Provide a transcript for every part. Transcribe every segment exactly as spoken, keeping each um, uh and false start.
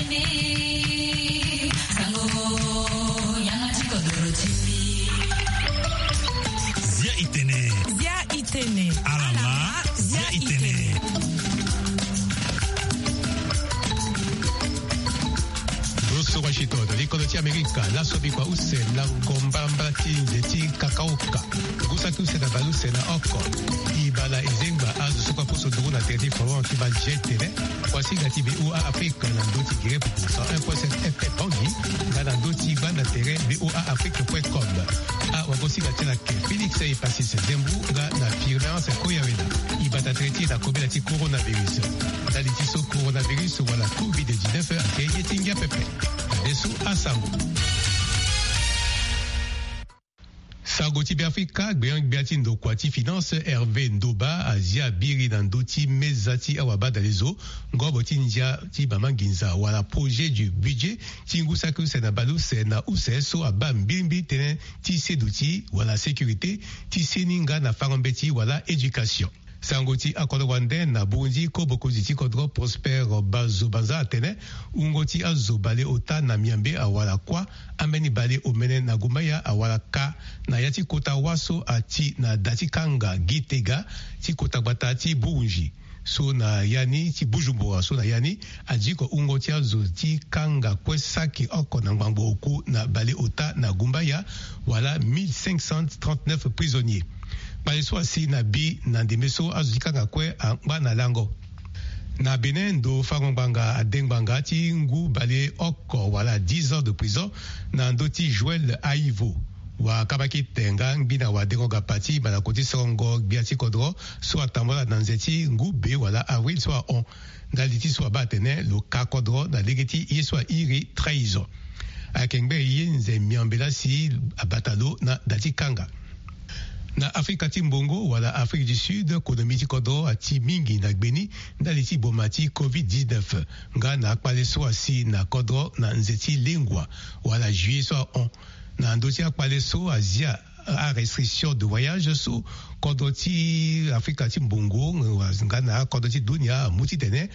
Zia itene. Zia itene. Alama. Zia itene. Lo soro asito na likolo ti Amerika, laso bikua use na ngomba mbala ti nze ti kakaoka. Ngu saki use na bale use na oko. E baa na e zengba azo so kue apusu nduru na tere ti Fawan ti baa zia itene. Kuasinga ti VOA Afrique na ndö ti Guinée Popo cent un point sept F M Bangui, nga na ndö ti banda tere VOA Afrique point com. Awagosinga ti ala ake Félix Epasis Zembu nga na Firmance Koyawena. E bata tere ti e na kobela ti coronavirus. Ndali ti so coronavirus wala covid dix-neuf ayeke ye ti ngia pepe. Adeso asango. Sango ti Beafrika, gbenyo-gbia ti ndokua ti finance Hervé Ndoba azia biri na ndö ti meza ti awabadalezo, ngobo ti ndia ti mama nginza wala projet du budget ti ngu saki use na bale use na use so abaa mbilimbili tënë ti seduti wala sécurité ti seni nga na fango mbeti wala éducation. Sango ti akodro wande na Burundi, ko mokonzi ti kodro Prosper Bazobanza atene wungo ti azo baleota na miambe awara kuâ, ambeni baleomene na gumbaya awara ka, na ya ti kota wâ so ati na da ti kanga Gitega ti kota gbata ti Burundi. So na ya ni ti Bujumbura, so na ya ni adiko wungo ti azo ti kanga kue saki oko na ngbangbo oku na baleota na gumbaya, wala mille cinq cent trente-neuf prisonniers. Kpale so asi na bi na ndembe so azo ti kanga kue angba na lango. Na Bénin, ndo fango ngbanga ade ngbanga ti ngu baleoko wala dix ans de prison na ndö ti Joël Aivo. Wakabakite nga ngbi na wadengo gapa ti malako ti sorongo gbia ti kodro so atambula na nze ti ngu be wala avril so ahon. Ndali ti so abaa atene lo ka kodro na lege ti ye so airi trahison. Ayeke ngbe ye nze miambe laa si abata lo na da ti kanga. Na Afrika ti mbongo wala Afrique du Sud, konomi ti kodro ati mingi na gbeni ndali ti boma ti covid dix-neuf, nga na akpale so asi na kodro na nze ti lengua wala juillet so ahon. Na ndö ti akpale so azia arestriction de voyage so kodro ti Afrika ti mbongo nga na akodro ti dunia amu titene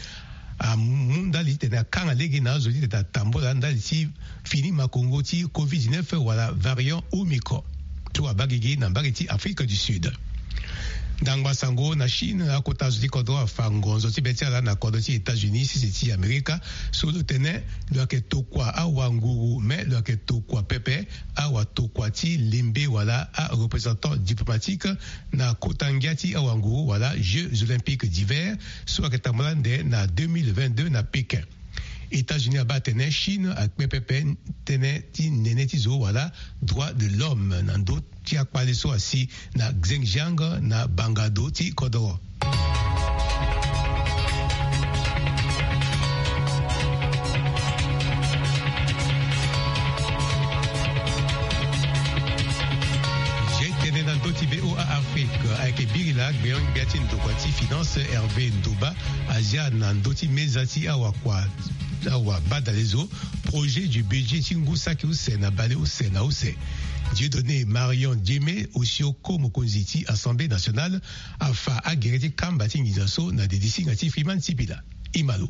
amu ndali titene akanga lege na azo titene atambula ndali ti fini makongo ti covid dix-neuf wala variant Omicron so abaa gigi na mbage ti Afrique du Sud. Ndangba sango na Chine, akota zo ti kodro afa ngonzo ti be ti ala na kodro ti États-Unis sese ti Amerika, so lo tene lo yeke tokua awanguru, me lo yeke tokua pepe awatokua ti lembe wala areprésentant diplomatique na kota ngia ti awanguru wala Jeux Olympiques d'hiver so ayeke tambula ande na deux mille vingt-deux na Pékin. États-Unis abaa atene Chine akpe pepe tënë ti nene ti zo wala droit de l'homme na ndö ti akpale so asi na Xinjiang na bangado ti kodoro. Tene na ndö ti VOA Afrique ayeke biri laa gbeon gbia ti ndokua ti finance Hervé Ndoba azia na ndö ti meza ti awakua awabadalezo projet du budget ti ngu saki use na bale use na use. Dieudonné Marion Diémé, osio ko mokonzi ti Assemblée nationale, afa agere ti kamba ti nginza so na didi singa ti Freeman Sipila. Imalo.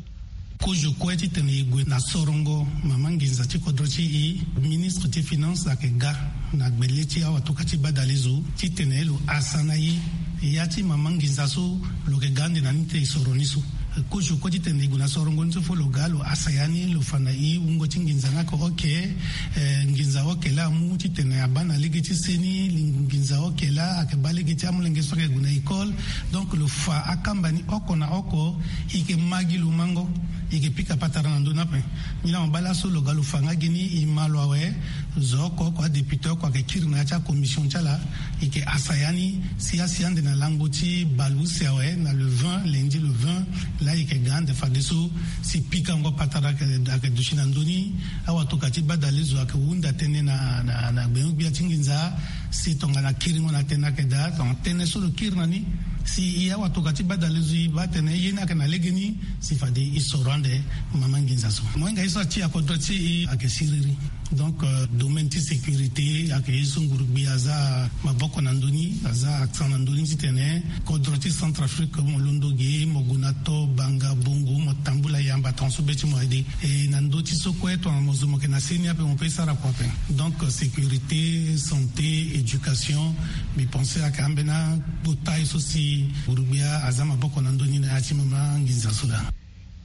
Kozo kue titene e gue na sorongo mama nginza ti kodro ti e, ministre ti finance ayeke ga na gbele ti awatokua ti badalezo titene lo hasa na e ya ti mama nginza so lo yeke ga ande na ni ti e soro ni so. Kozo kue titene e gue na sorongo ni so fo lo ga lo hasa ya ni, lo fa na e wungo ti nginza ni ayeke oke, eh, nginza oke laa amu titene abaa na lege ti seni, nginza oke laa ayeke baa lege ti amolenge so ayeke gue na école. Donc lo fa akamba ni oko na oko. E yeke ma gi lo mango, e yeke pika patara na ndö ni ape. Nilaa mo baa laso lo ga lo fa nga gi ni, e ma lo awe. Zo oko oko, adéputé oko ayeke kiri na ya ti acommission ti ala. E yeke hasa ya ni si asi ande na lango ti bale use awe na le vingt, lundi le vingt. Laa e yeke ga ande fadeso si pikango patara ayeke, ayeke duti na ndö ni. Awatokua ti badalezo ayeke hunda tënë na, na, na gbenyo-gbia ti nginza. Si tongana kiringo na tënë ayeke daa, tongana tënë so lo kiri na ni, si e awatokua ti badalezo e baa atene ye ni ayeke na legeni, si fade e soro ande mama nginza so. Mohinga ye so ati akodro ti e ayeke siriri. Donc domaine ti sécurité ayeke ye so ngurugbi aza maboko na ndö ni, aza accent na ndö ni titene kodro ti Centrafrique mo londo ge, mo gue na to banga bongo, mo tambula yamba tongaso be ti mo aye de. E na ndö ti so kue tongana mo zo mo yeke na seni ape mo pe sara kua ape. Donc sécurité, santé, éducation, mbi pense ayeke ambeni akota ye so si ngurugbi aza maboko na ndö ni na ya ti mama nginza so laa.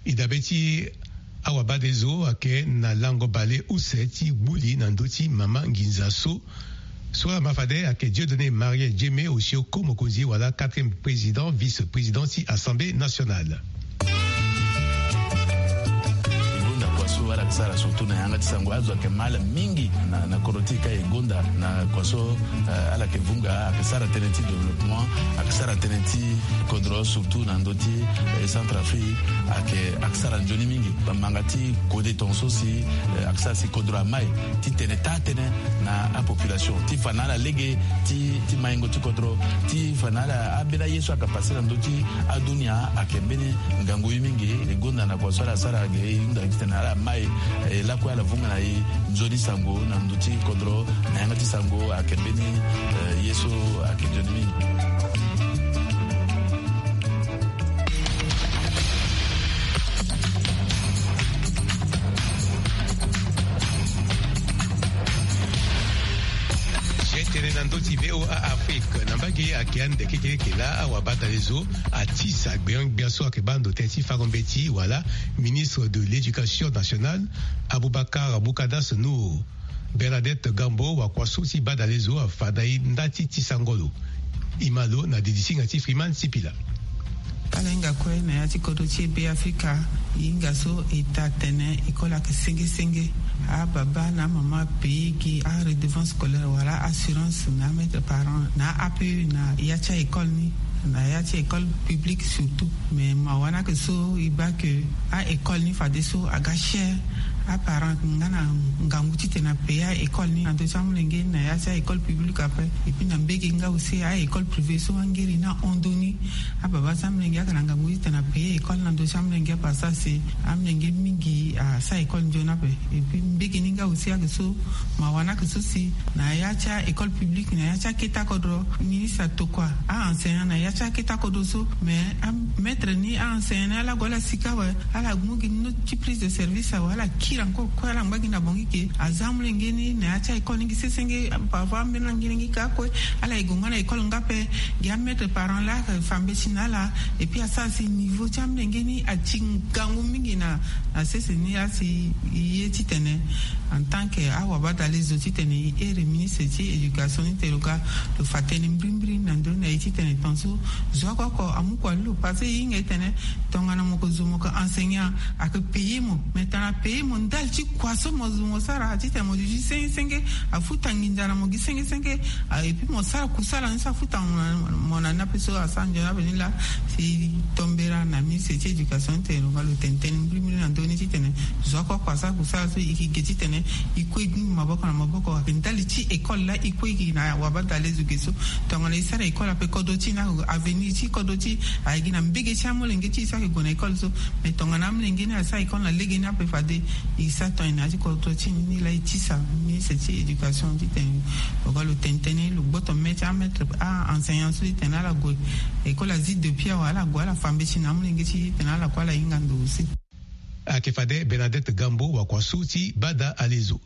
E dabe ti awabadalezo ayeke na lango bale use ti gbu li na ndö ti mama nginza so. So ala ma fade ayeke Dieudonné Marie Djeme, osio ko mokonzi wala quatrième président vice-président ti Assemblée nationale. E gonda kua so ala yeke sara surtout na yanga ti sango, azo ayeke ma ala mingi na, na kodro ti e ka e gonda na kua so, eh, ala yeke vunga, ayeke sara tënë ti développement, ayeke sara tënë ti kodro surtout na ndö ti, eh, Centrafrique, ayeke, ayeke sara nzoni mingi. Bamanga ti kode tongaso si, eh, ayeke sara si kodro amai titene taa tënë na apopulation ti fa na ala lege ti, ti maingo ti kodro, ti fa na ala ambeni aye so ayeke pase na ndö ti adunia ayeke mbeni ngangu ye mingi. E gonda na kua so ala sara ge, e hunda titene ala mai, eh, lakue ala vunga na e nzoni sango na ndö ti kodro, na yanga ti sango ayeke mbeni, eh, ye so ayeke nzoni mingi. Tene na ndö ti V O A Afrique, na mbage ayeke ande kekereke laa awabadalezo atisa gbia gbia so ayeke baa ndo tënë ti fango mbeti wala ministre de l'éducation nationale, Aboubacar Boukadas Nour. Bernadette Gambo, wakua so ti badalezo, afada e nda ti tisa ngolo. E ma lo na didisinga ti Freeman Sipila. Ala hinga kue na ya ti kodro ti e Be Afrika, e hinga so e taa tene école ayeke senge senge. Ababa na amama apaye gi aredevance scolaire wala assurance na amaître parent na A P E na ya ti a-école ni, na ya ti école publique surtout. Mais mawa ni ayeke so e baa ke a-école ni fadeso aga cher. Aparent ayeke nga na ngangu titene apaye a-école ni na ndö ti amolenge ni na ya ti a-école publique ape. Et puis na mbege nga aussi a-école privée so angeri ni ahon ndö ni. Ababa ti amolenge ayeke na ngangu titene apaye école na ndö ti amolenge ape, asara si amolenge mingi asara école nzoni ape. Et puis mbege ni nga aussi ayeke so, mawa ni ayeke so si na ya ti a-école publique, na ya ti akete kodro, ministre atokua a-enseignant na ya ti akete kodro so. Mais amaître ni, a-enseignant ni, ala gue ala sika awe, ala mu gi note ti prise de service awe, ala kiri encore kue, ala ngba gi na bango ke aza amolenge ni na ya ti a-école ni gi sesenge. Parfois ambeni langilangi ka kue, ala ye gue nga na école nga ape. Gi amaître parent laa ayeke fa mbeti na ala. Et puis asara si niveau ti amolenge ni ati ngangu mingi na, na sese ni. Asi ye titene en tant que awabadalezo titene e here ministre ti éducation ni tene lo ga lo fa tënë mbirimbiri na ndö ni na e titene tongaso zo oko oko amu kua lo, parce que e hinga e tene tongana mo yeke zo mo yeke enseignant, ayeke paye mo. Mais tongana apaye mo ndali ti kua so mo zo mo sara titene mo duti senge senge, afuta nginza na mo gi senge senge. Ah, et puis mo sara kusala ni so afuta mo na, mo na ni ape so asara nzoni ape ni laa. Si tombera na ministre ti éducation tene lo ga lo tene tënë mbirimbiri na ndö ni titene zo oko oko asara kusala so e yeke ge titene e kue e gue maboko na maboko. Ayeke ndali ti école laa e kue e gi na wabadalezo ge so. Tongana e sara école ape, kodro ti e ni, avenir ti kodro ti e ayeke gi na mbege ti amolenge ti e so ayeke gue na école so. Mais tongana amolenge ni asara école na lege ni ape, fade e sara tongana e na ya ti kodro ti e ni laa e tisa ministre ti éducation titene lo ga lo tene tënë, lo gboto mê ti amaître, a-enseignant so titene ala gue. École azi depuis awe, ala gue ala fa mbeti na amolenge ti e titene ala kue ala hinga ndo aussi. Ayeke fade Bernadette Gambo, wakua so ti badalezo.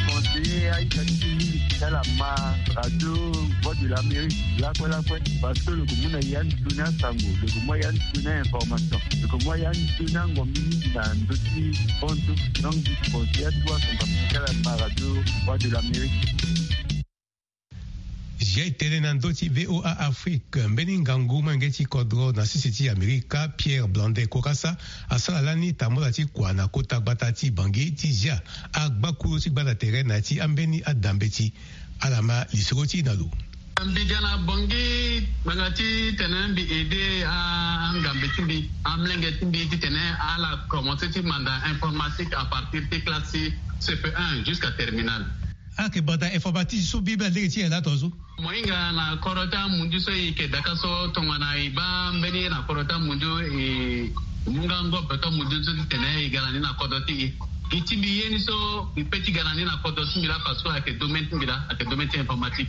Conseiller aita ti mingi ti ala ma radio Voix de l'Amérique lakue lakue, parce que lo yeke mu na ya ni toni asango, lo yeke mu ya ni toni a-information, lo yeke mu ya ni toni angombi mingi na ndö ti bonso. Donc conseiller atu asango ti ala ma radio Voix de l'Amérique. Zia e tene na ndö ti V O A Afrique, mbeni ngangu molenge ti kodro na sese ti Amerika, Pierre Blondet Kokasa, asara lani tambula ti kua na kota gbata ti Bangui ti zia agbakuru ti gbata tere na ya ti ambeni adambeti. Ala ma lisoro ti e na lo. Mbi ga na Bangui ngbanga titene mbi aide angambe ti mbi, amolenge ti mbi titene ala commencer ti manda informatique à partir ti classe ti C P un jusqu'à terminale. Ayeke banda informatique so mbi mbi alege ti e laa tongaso. Mo hinga na kodro ti amunzu so e yeke daka so tongana e baa mbeni ye na kodro ti amunzu, e mu nga ngobe ti amunzu so titene e ga na ni na kodro ti e. Gi ti mbi ye ni so mbi pe ti ga na ni na kodro ti mbi laa, parce que ayeke domaine ti mbi laa, ayeke domaine ti informatique.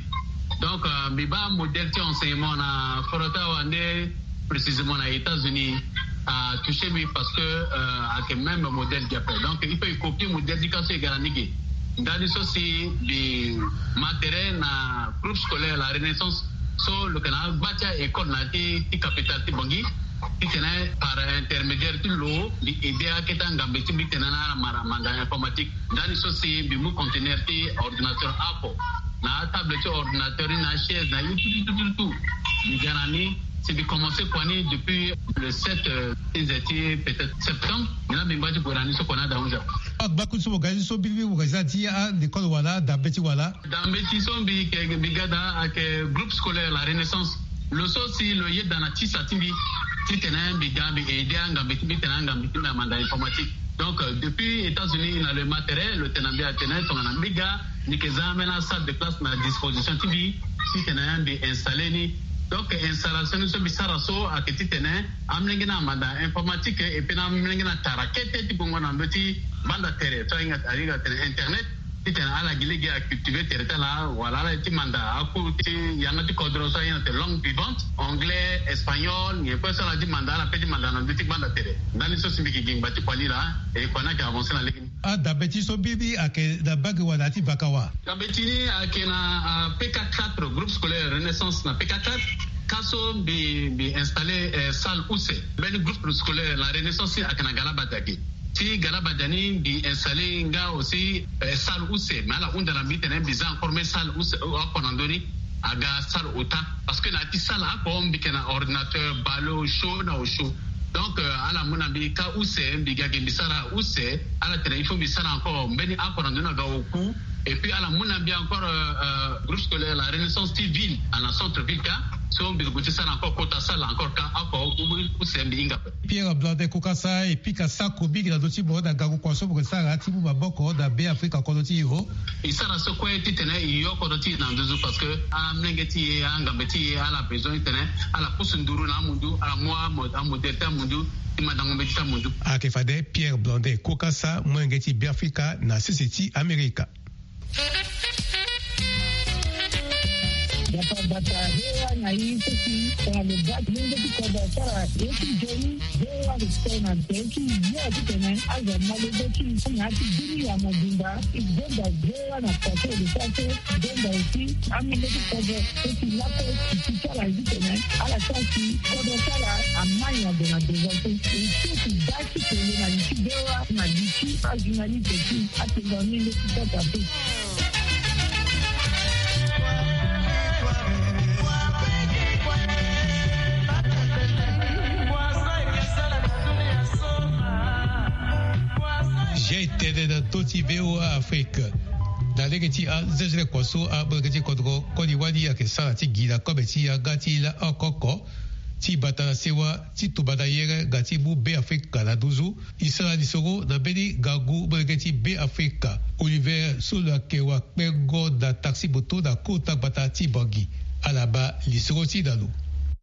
Donc mbi baa modèle ti enseignement na foro ti awande, précisément na États-Unis, atoucher mbi parce que ayeke même modèle gi ape. Donc il faut e copier modèle ti ka so e ga na ni ge. Ndani so si mbi ma tere na groupe scolaire La Renaissance, so lo yeke na agba ti a-école na ya ti capitale ti Bangui, titene par intermédiaire ti lo mbi aidé akete angambe ti mbi titene na ala mara manda informatique. Ndani so si mbi mu conteneur ti ordinateur oko na atable ti ordinateur ni na achaise na ye tout tout tout tout. Mbi ga na ni si mbi commencé kua ni depuis le sept, ti nze ti peut-être septembre. Mbi na mbi ngba ti gue na ni so kua ni ada onze heures. Agba kue so mo ga ni so biribi mo ga ti za ti alekole wala dambe ti wala? Dambe ti so mbi yeke mbi ga daa ayeke groupe scolaire La Renaissance. Lo so si lo yeda na tisa ti mbi titene mbi ga mbi aidé angambe ti mbi titene angambe ti mbi amanda informatique. Donc depuis États-Unis na lo e ma tere lo tene na mbi atene tongana mbi ga mbi yeke za ambeni asalle de classe na disposition ti mbi titene mbi installé ni. Donc installation ni so mbi sara so ayeke titene amolenge ni amanda informatique et puis na amolenge ni atara kete ti gongo na ndö ti banda tere so ahinga ahinga atene internet, titene ala gi lege acultivé tere ti ala wala ala ye ti manda akours ti yanga ti kodro so ahinga atene langue vivante, anglais, espagnol, nyen kue so ala ti manda ala pe ti manda na ndö ti banda tere. Ndani so si mbi yeke gi ngba ti kua ni laa e kua ni ayeke avancé na lege ni. Adambe ti so biribi ayeke na bage wala ti vaka wa? Dambe ti ni ayeke na P K quatre, groupe scolaire Renaissance na P K quatre. Ka so mbi mbi installé salle use. Mbeni groupe scolaire La Renaissance ayeke na Galabadia ge. Ti Galabadia ni mbi installé nga aussi salle use, mais ala hunda na mbi titene mbi za encore mbeni salle use oko na ndö ni. Aga salle ota parce que na ya ti salle oko mbi yeke na ordinateur, ballon, chaud na osio. Donc ala mu na mbi ka use, mbi ga ge mbi sara use. Ala tene il faut mbi sara encore mbeni oko na ndö ni aga oku. Et puis ala mu na mbi encore groupe scolaire La Renaissance ti ville, na centre ville ka. So mbi gue ti sara encore kota salle encore ka oko use mbi hinga. Pierre Blondet Kukasa, e pika sako mingi na ndö ti mo na ngangu kua so mo yeke sara ti mu maboko na Be Afrika kodro ti e. E sara so kue titene e yo kodro ti e na nduzu parce que amolenge ti e, angambe ti e ala besoin titene ala pusu nduru na amundu, ala mu amodèle ti amundu ti mandango mbeti ti amundu. Ayeke fade Pierre Blondet Kukasa, molenge ti Be Afrika na sese ti Amerika. Gbata gbata, he wa na yi seki tongana lo baa ti lenge ti kodro asara ye ti nzoni. He wa lo tene na nze ti yo titene azo ma lege ti na ya ti bini ya mobimba. E gonda he wa na kua so lo sara so, e gonda aussi amolenge ti kodro so si lakue ti ti ti ala ye titene ala sara si kodro ti ala amai ague na devant so. E so ti baa ti kele na li ti he wa na li ti ajournaliste ti atenga ni leki kota pe. Jai tene na ndö ti V O A Afrique. Na lege ti azezele kua so amolenge ti kodro koli wali ayeke sara ti gi na kobe ti yanga ti la oko oko ti bata na sewa ti tumba na yere nga ti mu Be Afrika na nduzu. E sara lisoro na mbeni ngangu molenge ti Be Afrika Oliver so lo yeke wakpengo na taxi moto na kota gbata ti Bangui. Ala baa lisoro ti e na lo.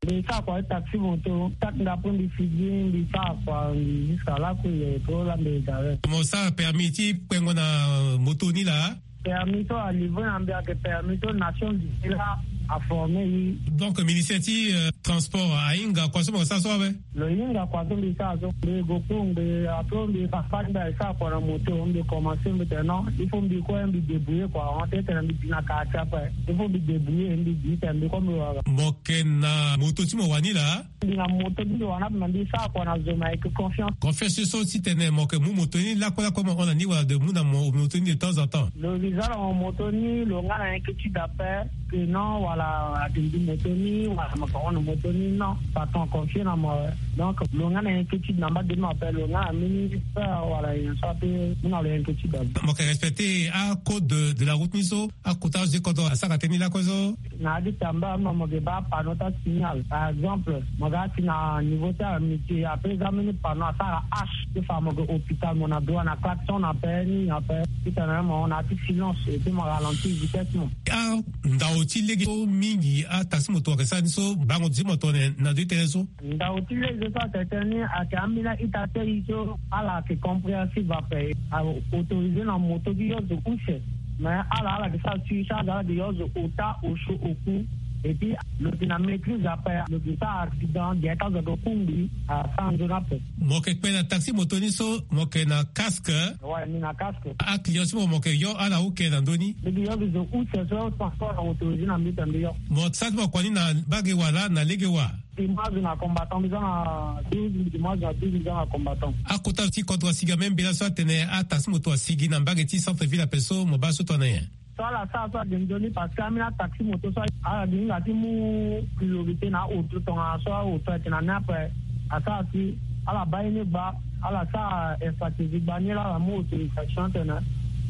Mbi sara kua ti taxi moto, saki ndapre mbi figi, mbi sara kua, mbi jusqu'à là que ye to la mbi gare. Mo sara permis ti kpengo na moto ni laa? Permis so alivre na mbi ayeke permis so Nations Unies la aforme ye. Donc ministère ti transport ahinga kua so mo sara so awe? Lo hinga kua so mbi sara so, mbi go kungbi, après mbi papa mbi asara kua na moto, mbi commencé mbi tene non, il faut mbi kue mbi débrouiller kua, on tene mbi bi na quartier ape, il faut mbi débrouiller, mbi bi tene mbi kue mbi wara. Mo yeke na moto ti mo wani laa? Mbi na moto ti mbi wani ape, mbi sara kua na zo, mbi ayeke confiance. Confiance so titene mo yeke mu moto ni lakue lakue mo hon na ni wala de mu na mo moto ni de temps en temps? Lo mbi za na mo moto ni, lo nga na inquiétude ape. Que non, wala, atene mbi moto ni wala mo ka hon na moto ni, non, patron confié na mo awe. Donc lo nga na inquiétude na mba de mo ape, lo nga na mbeni peur wala nyen so ape, mu na lo inquiétude ape. Mo yeke respecté acode de la route ni so akota azo ti kodro asara tënë ni lakue so? Na ya ti tamba mo, mo yeke baa panneau ti asignal. Par exemple, mo ga ti na niveau ti amitié, ape za mbeni panneau asara H ti fa mo yeke hôpital, mo na droit na klaxon na ape ni ape. Titene mo na ya ti silence et puis mo ralentir vitesse mo. Ah, ndao Oti lege so mingi ataxi moto ayeke sara ni so bango ti mo tongana na ndö ti tënë so. Ndau ti lege so atene ni ayeke ambeni a-ita ti aye so ala yeke compréhensif ape. A-autorisé na moto ti yo zo use. Mais ala ala yeke sara suivre charge ala yeke yo zo ota osio oku. Et puis lo yeke na maîtrise ape, lo yeke sara accident gere ti azo ayeke kungbi asara nzoni ape. Mo yeke kpe na taxi moto ni so mo yeke na casque? Ouais, mi na casque. Aclient ti mo mo yeke yo ala uke na ndö ni? Lo yeke yo zo use so transport na autorisé na mbi tene mbi yo. Mo sara ti mo kua ni na mbage wa laa na lege wa? Dimanche na combattant mbi za na douze, dimanche na douze mbi za na combattant. Akota ti kodro asigi ame mbela so atene ataxi moto asigi na mbage ti centre ville ape so mo baa so tongana nyen? So ala sara so ade nzoni parce que ambeni ataxi moto so ala gi hinga ti mu priorité na aoto tongana so aoto ayeke na ni ape. Asara si ala baa ye ni gba, ala sara infrastructure gba ni laa ala mu autorisation atene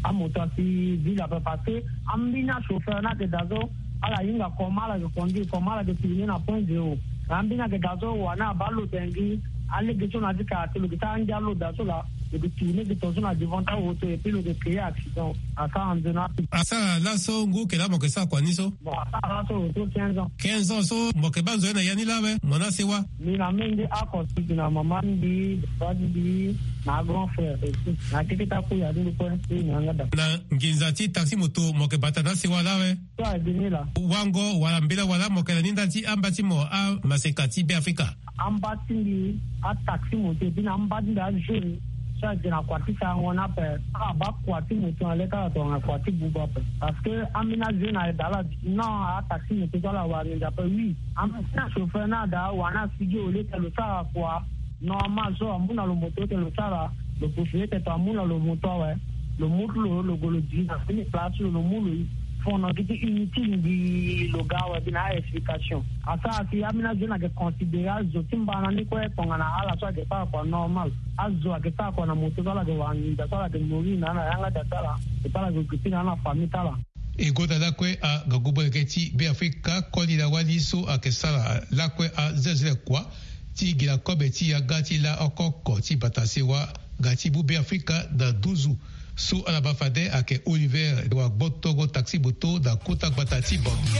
amoto asi ville ape parce que ambeni achauffeur ni ayeke daa so ala hinga comment ala yeke conduire, comment ala yeke tourner na point zéro. Na ambeni ayeke daa so wani abaa lodengi alege so na ya ti kara ti lo yeke sara angia loda so laa lo yeke tourner gi tongaso na devant ti aoto et puis lo yeke créer accident. Asara nzoni ape. Asara laso ngu yeke laa mo yeke sara kua ni so? Bon, asara laso lo so quinze ans. Quinze ans so mo yeke baa nzoni na ya ni laa awe, mo na sewa? Mi na menge oko si na mama ti mbi, papa ti mbi, na grand frère aussi. Na keke ti akui adu ndo kue ti na yanga daa. Na nginza ti taxi moto mo yeke bata na asewa laa awe? So ayeke ni laa. Wango wala mbela wala mo yeke na ni ndali ti amba ti mo amaseka ti Beafrika? Amba ti mbi ataxi moto et puis na amba ti mbi ajeune so ayeke na kua ti sarango ni ape. Ala baa kua ti moto na le ti ala tongana kua ti buba ape. Parce que ambeni ajeune ayeke daa ala non ataxi moto so ala wara nginza ape oui. Ambeni achauffeur ni ada wani asigi au lieu que lo sara kua normal so amu na lo moto ete lo sara, lo profite ete to amu na lo moto awe. Lo mu ti lo, lo gue lo di na fini place ti lo, lo mu lo fono gi ti inutile ngbii lo ga awe gi na a-explication. Asara si ambeni azo ni ayeke considérer azo ti mbana ni kue tongana ala so ayeke sara kua normal. Azo ayeke sara kua na moto so ala yeke wara nginza so ala yeke mourir na ala na yanga daa ti ala, et puis ala yeke occupé na ala na famille ti ala. E gonda lakue angangu molenge ti Beafrika koli na wali so ayeke sara lakue azelezele kua ti gi na kobe ti yanga ti laa oko oko ti bata sewa nga ti mu Beafrika na nduzu. So ala ma fade ayeke Oliver wa gbotongo taxi moto na kota gbata ti Bangui.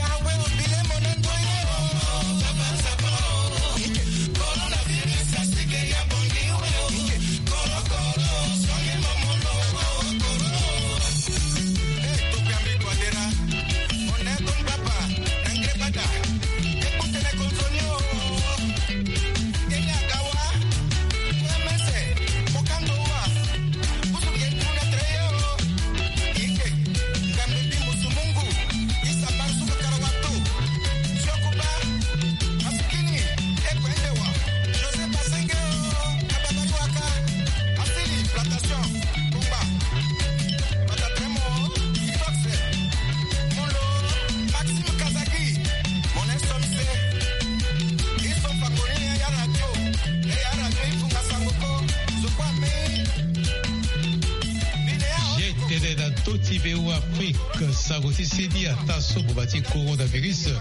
Ye tene na ndö ti V O A Afrique, sango ti seni ataa so boma ti coronavirus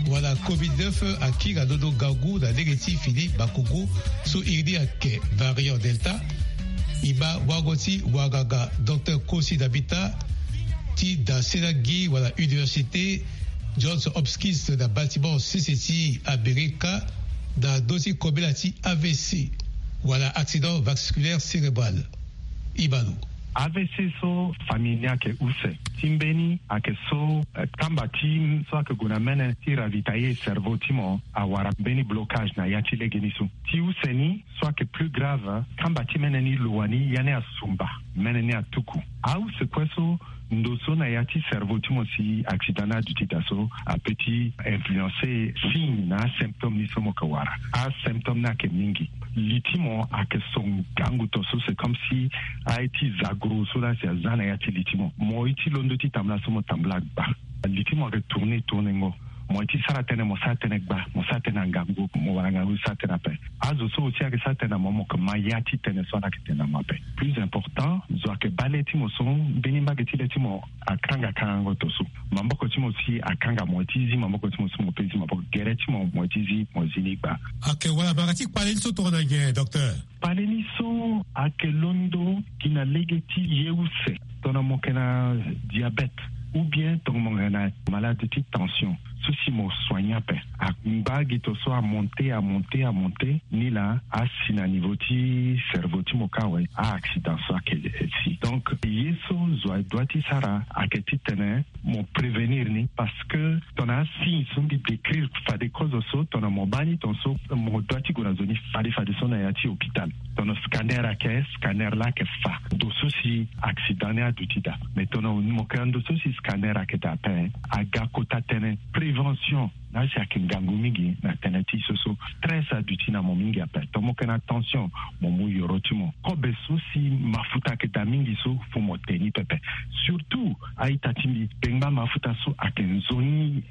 wala covid neuf akiri na londo ngangu na lege ti fini makongo so iri ni ayeke variant Delta. E ma wango ti wanganga Docteur Kosi Dabita ti da senagi wala université Johns Hopkins na Baltimore sese ti Amerika na ndö ti kobela ti A V C wala accident vasculaire cérébral. Ibalo. A V C so famille ni ayeke use. Ti mbeni ayeke so, eh, kamba ti so ayeke gue na mene ti ravitailler cerveau ti mo awara mbeni blocage na ya ti legeni so. Ti use ni so ayeke plus grave, kamba ti mene ni lo wani ya ni asumba, mene ni atuku. Ause kue so ndo so na ya ti cerveau ti mo si accident ni aduti daa so ape ti influencer signe na asymptôme ni so mo yeke wara. Asymptôme ni ayeke mingi. Li ti mo ayeke so ngangu to so, c'est comme si aye ti zagro so laa si aza na ya ti li ti mo. Mo ye ti londo ti tambula so mo tambula gba. Li ti mo ayeke tourner tourner ngo. Mo ye ti sara tënë mo sara tënë gba, mo sara tënë na ngangu, mo wara ngangu ti sara tënë ape. Azo so aussi ayeke sara tënë na mo, mo yeke ma ya ti tënë so ala yeke tene na mo ape. Plus important, zo ayeke baa le ti mo so mbeni mbage ti le ti mo akanga kangango to so. Maboko ti mo si akanga mo ye ti zi maboko ti mo so mo pe zi maboko, gere ti mo mo ye ti zi mo zi ni gba. Ayeke wala mbanga ti kpale ni so tongana nyen, docteur? Kpale ni so ayeke londo gi na lege ti ye use tongana mo yeke na diabète. ou bien tongo mo yeke na malade ti tension so si mo soigne ape, angba gi to so amonte amonte amonte, ni laa asi na niveau ti cerveau ti mo kue awe. A-accident so ayeke si. Donc ye so zo adoit ti sara ayeke titene mo prévenir ni, parce que tongana asigne so mbi décrire fade kozo so, tongana mo baa ni tongaso, mo doit ti gue na zo ni fade fade so na ya ti hôpital. Tongana scanner ayeke, scanner laa ayeke fa ndo so si accident ni aduti daa. Mais tongana mo yeke na ndo so si scanner ayeke daa ape, aga kota tënë prévention. Na asi ayeke ngangu mingi na tënë ti so so stress aduti na mo mingi ape. Tongana mo yeke na tension, mo mu yoro ti mo. Kobe so si mafuta ayeke daa mingi so, faut mo te ni pepe. Surtout a-ita ti mbi, bengba mafuta so ayeke nzoni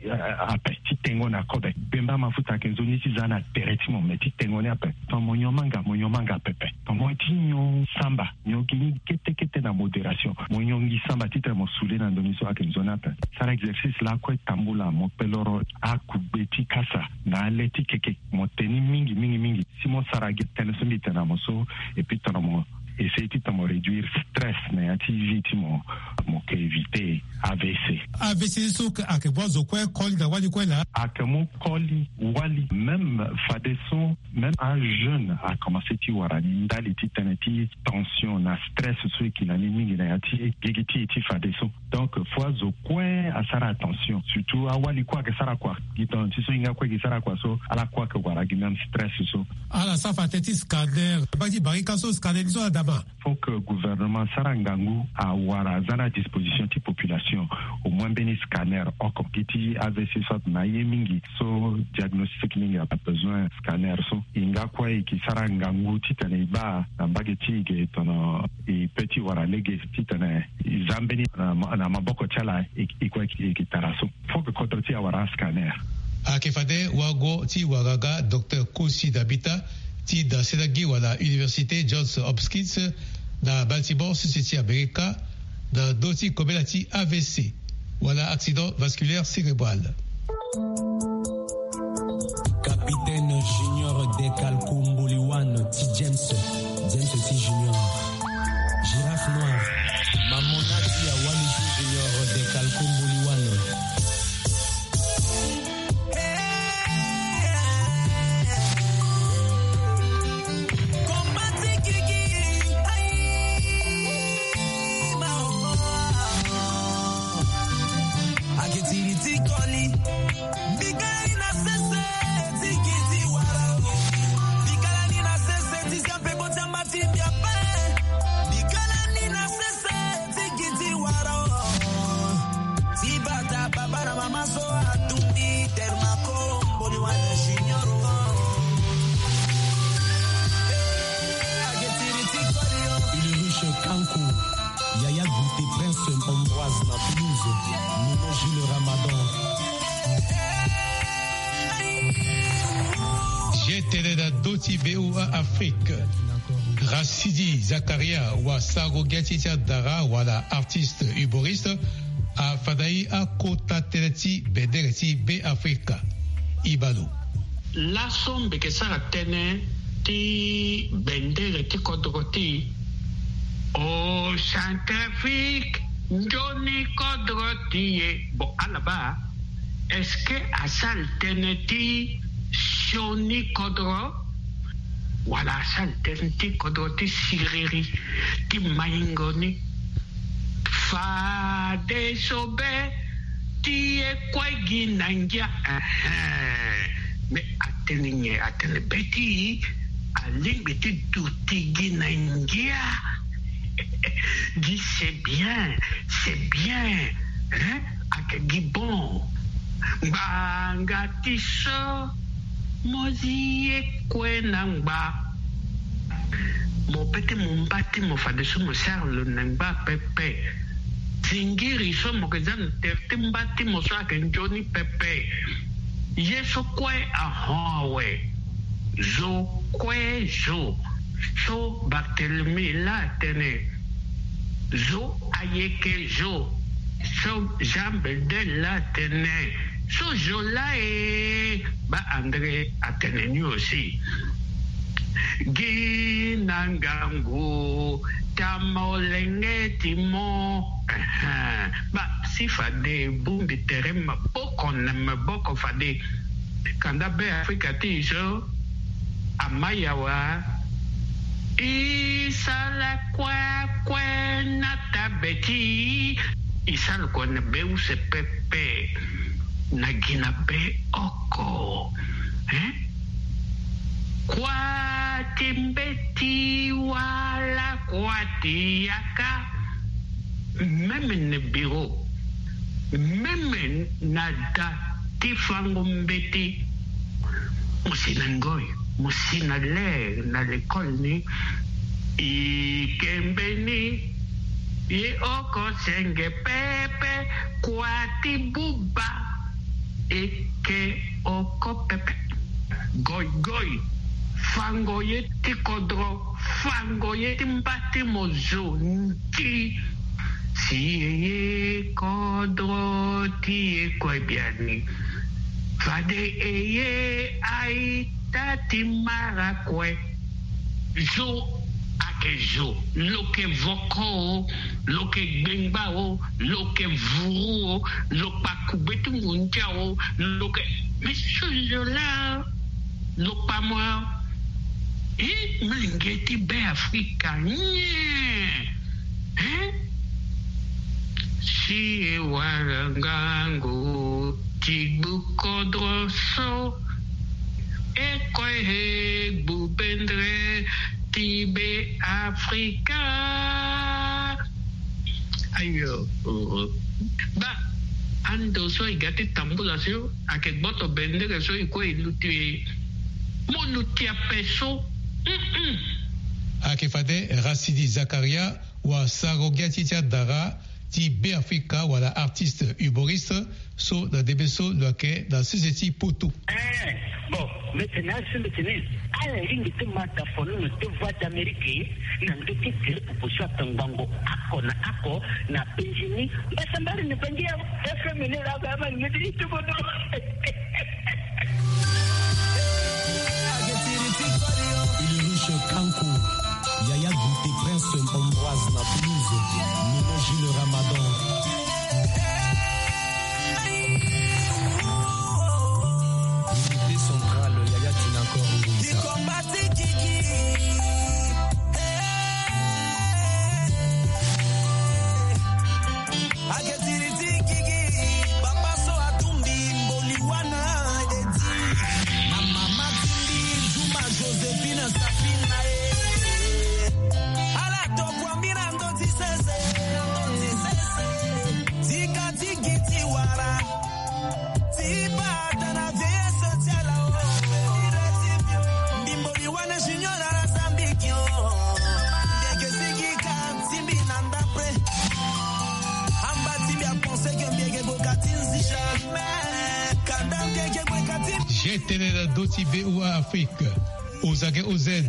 ape ti tengo na kobe. Bengba mafuta ayeke nzoni ti za na tere ti mo, me ti tengo ni ape. Tongana mo nyon manga, mo nyon manga pepe. Tongana mo ye ti nyon samba, nyon gi ni kete kete na modération. Mo nyon gi samba titene mo sule na ndo ni so ayeke nzoni ape. Sara exercice lakue tambula, mo kpe loro akugbe ti kasa na ale ti keke. Mo te ni mingi mingi mingi. Si mo sara gi tënë so mbi tene na mo so, et puis tongana mo essayer titene mo réduire stress na ya ti vie ti mo, mo ke éviter A V C. A V C so ayeke mu azo kue koli na wali kue laa? Ayeke mu koli wali, même fadeso même ajeune akomanse ti wara ni ndali ti tënë ti tension na stress so e ki na ni mingi na ya ti gigi ti e ti fadeso. Donc faut azo kue asara attention, surtout awali kue ayeke sara kua. Gi tongana ti so hinga kue e ke sara kua so, ala kue ayeke wara gi même stress so. Ala sara fa tënë ti scanner, baa ti barika so scanner ni so ada ma. Faut que gouvernement asara ngangu awara aza na disposition ti population au moins mbeni scanner oko. Gi ti A V C so atene na aye mingi so diagnostic mingi abesoin scanner so. E nga kue e ke sara ngangu titene e baa na mbage ti e ge tongana e pe ti wara lege titene e za mbeni na ma- na maboko ti ala e e kue e ke tara so. Faut que kodro ti e awara ascanner. Ayeke fade wago ti wara ga Docteur Kosi Dabita ti dasela gi wala Université Johns Hopkins na Baltimore, sese ti Amerika, na ndö ti kobela ti A V C wala accident vasculaire cérébral. Capitaine Junior Dekalko Mboliwan ti James, James ti Junior. Girafe noire. Mamona ti Awali ti Junior Dekalko Mboliwan. Akitiri ti koli. Bikani na sese ti kiti wara. Bikalani na sese ti siampe koti amba ti mbi ape. Bikalani na sese ti kiti wara. Ti bata baba na mama so atumbi terma komboni wana junior. Eh, akitiri ti koli yo. Ulrich Kanko. Yaya Guité Prince Ambroise na Toulouse, Nono Gilles Ramadan. Ye tene na ndö ti V O A Afrique. Rasidi Zakaria wa sago ge ti ti adara wala artiste humoriste afandai akota tënë ti bendere ti Be Afrika. Ibalo. Laso mbi yeke sara tënë ti bendere ti kodro ti e. O Centrafrique, nzoni kodro ti e. Bon, ala baa, est-ce que asara tënë ti sioni kodro wala asara tënë ti kodro ti siriri ti maingo ni? Fadeso be ti e kue gi na ngia. Ehe. Me atene nyen? Atene be ti e alingbi ti duti gi na ngia. Gi c'est bien, c'est bien. Hein? Ayeke gi bon. Ngbanga ti so mo zi ye kue na ngba. Mo pe ti mo mba ti mo fadeso mo sara lo na ngba pepe. Zingiri so mo yeke za na tere ti mba ti mo so ayeke nzoni pepe. Ye so kue ahon awe. Zo kue zo. So Barthélemy laa atene. Zo ayeke zo. So Jean Bedel laa atene. So zo laa e. Baa André atene ni aussi. Gi na ngangu ti amolenge ti mo. Ehe. Baa ti fade e bongbi tere maboko na maboko fade. Kanda Be Afrika ti e so ama yawa. E sara kue kue na tabe ti e. E sara kue na be use pepe. Na gi na be oko. Hein? Kua ti mbeti wala kua ti yaka. Même na bureau, même na da ti fango mbeti. Mo si na ngoi, mo si na ler na lekole ni. E ke mbeni. Ye oko senge pepe. Kua ti buba. E ke oko pepe. Goigoi. Fango ye ti kodro. Fango ye ti mba ti mo zo nti. Si e ye kodro ti e kue biani. Fade e ye aita ti mara kue. Zo ayeke zo. Lo yeke voko o, lo yeke gbengba o, lo yeke vuru o, lo kpa kugbe ti ngu ndia o, lo yeke. Mais ce zo-là, lo kpa mo. E, molenge ti Be Afrika nyen? Hein? Si e wara ngangu ti gbu kodro so, e kue e gbu bendre ti Be Afrika. Ayo, oh, oh. Ba, ando so e ga ti tambula so, ayeke gboto bendere so e kue e luti e. Mo luti ape so. Mm-mm. Ayeke fade Racine Zakaria, wa sarango gi ya ti ti adara ti Be Afrika wala artiste humoriste so na ndembe so lo yeke na sese ti poto. Eh, bon, mbeti na asu mbeti ni. Ala lingbi ti ma tafono na deux voix d'Amérique na ndö ti tere popo so atongbango oko na oko na penzi ni. Mbasambala ni bangi ya F M ni la ba ma ni ti tubo no. Ulrich Kanko, Yaya Goûté, Prince Ambroise na Toulouse, Nono Gilles Ramadan. Unité centrale, Yaya Tinacor Ngouissa. Ake tiri ti gigi, papa so atumbi mboli wana edi. Na mama timbi Zuma Josephine Safina e. Ala tokua mbi na ndö ti sese, na ndö ti sese. Tika ti gi ti wara. Ti bata na vieillesse ti ala o. Mbi mboli wana junior ala sambiki o. Ndeke sigi ka ti mbi na ndapre. Amba ti mbi apense ke mbi eke boka ti nzi jamais. Kanda mbi eke boka ti. Je tene na ndö ti V O A Afrique. Ozage O Z,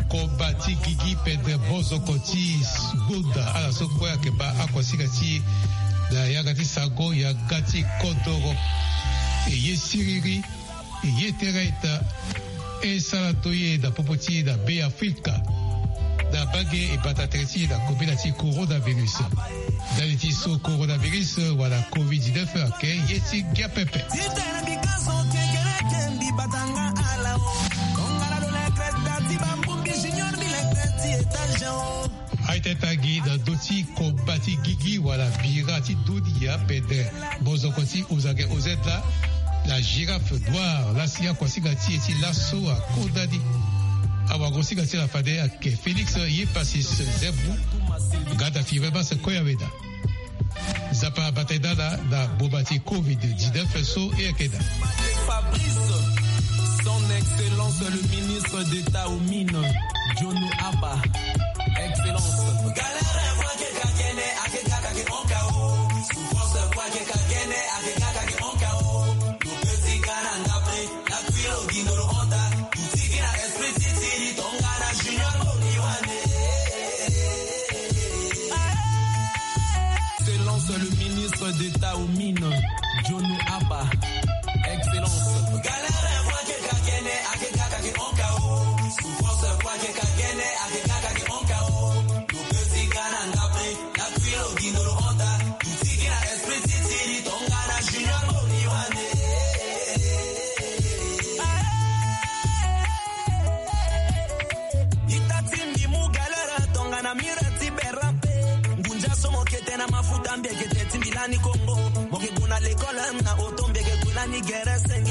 koba ti gigi pede bozoko ti Goda, ala so kue ayeke baa akuasinga ti e na yanga ti sango yanga ti kodoro. E ye siriri, e ye tere ita, e sara to ye na popo ti e na Be Afrika. Na bage e bata tere ti e na kobela ti coronavirus. Ndali ti so coronavirus wala covid dix-neuf ayeke ye ti ngia pepe. Aye tene tangi na ndö ti koba ti gigi wala bira ti dunia pede bozoko ti Ozage O Z la, la girafe noire lasi akuasinga ti e ti laso akodani. Awagosinga ti la fade ayeke Félix Yepasis Nzembu. Nga da firi be base koya weda. Nzapa abata e dala na boma ti covid dix-neuf so e yeke daa. Fabrice, son excellence le ministre d'État aux mines, Jono Aba, excellence. Excellence, le ministre d'État aux mines, Jono Aba. Excellence. Ani Congo, mo ke gue na l'école na auto, mbi ke gue na ni gere senge.